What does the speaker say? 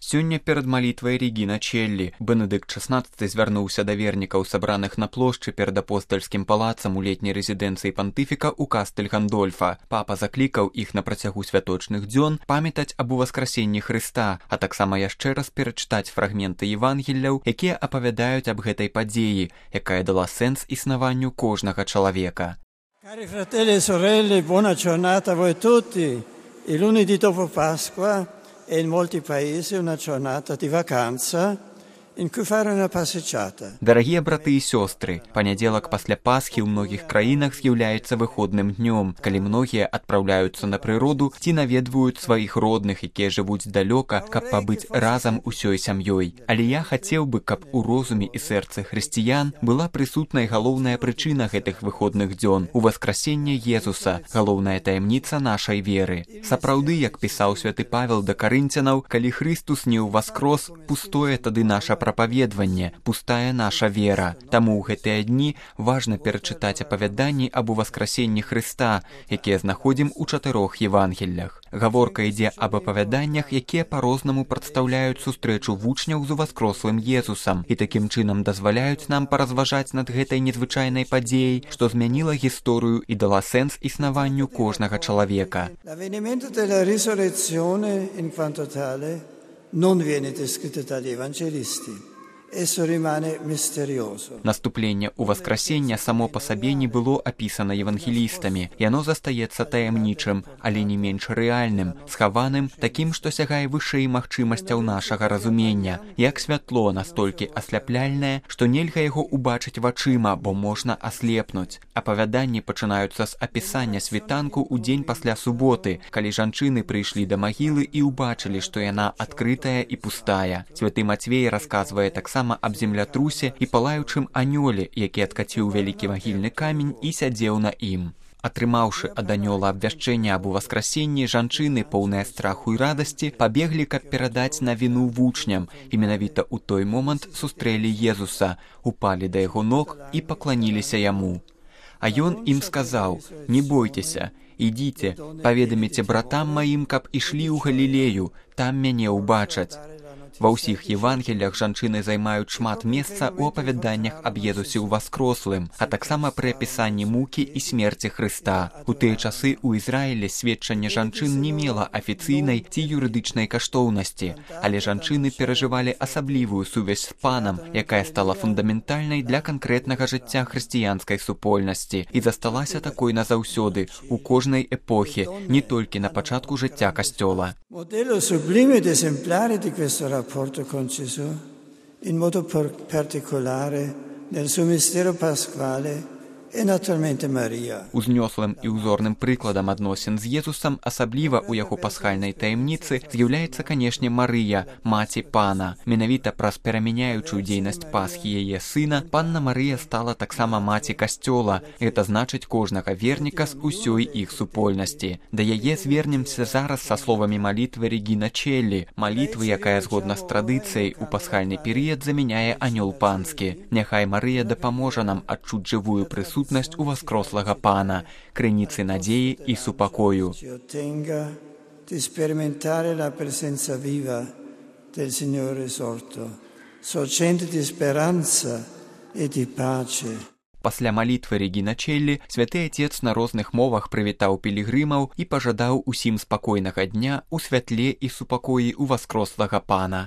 Сёння перад малітвай Регіна Челлі Бенедыкт XVI звярнуўся да вернікаў, сабраных на плошчы перад апостальскім палацам у летняй рэзідэнцыі пантыфіка ў Кастэль Гандольфа. Папа заклікаў іх на працягу святочных дзён памятаць аб уваскрасенні Хрыста, а таксама яшчэ раз перачытаць фрагменты Евангелляў, якія апавядаюць аб гэтай падзеі, якая дала сэнс існаванню кожнага чалавека. Cari fratelli e sorelle, buona giornata a voi tutti. Il lunedì dopo Pasqua è in molti paesi una giornata di vacanza in cui fare una passeggiata. Дарагія браты і сёстры, панядзелак пасля Пасхі ў многіх краінах з'яўляецца выходным днём, калі многія адпраўляюцца на прыроду ці наведваюць сваіх родных, якія жывуць далёка, каб пабыць разам усёй сям'ёй. Але я хацеў бы, каб у розуме і сэрцы хрысціян была прысутнай галоўная прычына гэтых выходных дзён — уваскрасенне Езуса, галоўная таямніца нашай веры. Сапраўды, як пісаў святы Павел да карынцянаў, калі Хрыстус не ўваскрос, пустое тады наша прапаведванне, пустая наша вера. Таму ў гэтыя дні важна перачытаць апавяданні аб уваскрасенні Хрыста, якія знаходзім у 4 Евангеллях. Гаворка ідзе аб апавяданнях, якія па-рознаму прадстаўляюць сустрэчу вучняў з уваскрослым Езусам і такім чынам дазваляюць нам паразважаць над гэтай незвычайнай падзеяй, што змяніла гісторыю і дала сэнс існаванню кожнага чалавека. L'avvenimento della risurrezione in quanto tale non viene descritto dagli evangelisti. Esso rimane misterioso. Наступленне ўваскрасення само па сабе не было апісана евангелістамі. Яно застаецца таямнічым, але не менш рэальным, схаваным, такім, што сягае вышэй магчымасцяў нашага разумення. Як святло настолькі асляпляльнае, што нельга яго ўбачыць вачыма, бо можна аслепнуць. Апавяданні пачынаюцца з апісання світанку ў дзень пасля суботы, калі жанчыны прыйшлі да магілы і ўбачылі, што яна адкрытая і пустая. Святы Мацвей расказвае таксама аб землятрусе і палаючым анёле, які адкаціў вялікі магільны камень і сядзеў на ім. Атрымаўшы ад анёла абвяшчэнне аб уваскрасенні, жанчыны, поўныя страху і радасці, пабеглі, каб перадаць навіну вучням, і менавіта ў той момант сустрэлі Езуса, упалі да яго ног і пакланіліся яму. А ён ім сказаў: «Не бойцеся, ідзіце, паведаміце братам маім, каб ішлі ў Галілею, там мяне ўбачаць». Ва ўсіх Евангеллях жанчыны займаюць шмат месца ў апавяданнях аб Езусе ўваскрослым, а таксама пры апісанні мукі і смерці Хрыста. У тыя часы ў Ізраілі сведчанне жанчын не мела афіцыйнай ці юрыдычнай каштоўнасці, але жанчыны перажывалі асаблівую сувязь з Панам, якая стала фундаментальнай для канкрэтнага жыцця хрысціянскай супольнасці і засталася такой назаўсёды у кожнай эпохі, не толькі на пачатку жыцця Касцёла. Modello sublime ed esemplare di questo rapporto con Gesù, in modo particolare nel suo mistero pasquale, e naturalmente Maria. Узнёслым і ўзорным прыкладам адносін з Езусам, асабліва ў яго пасхальнай таямніцы, з'яўляецца, канешне, Марыя, маці Пана. Менавіта праз перамяняючую дзейнасць Пасхі яе сына, Панна Марыя стала таксама маці Касцёла. Гэта значыць кожнага верніка з усёй іх супольнасці. Да яе звернемся зараз са словамі малітвы Регіна Челлі, малітвы, якая згодна з традыцыяй у пасхальны перыяд замяняе анёл панскі. Няхай Марыя дапаможа нам адчуць жывую прысутнасць уваскрослага Пана, крыніцы надзеі і супакою. Di sperimentare la presenza viva del Signore risorto, sorgente di speranza e di pace. Пасля малітвы Регіна Челлі святы Атец на розных мовах прывітаў пілігрымаў і пажадаў усім спакойнага дня у святле і супакоі ўваскрослага Пана.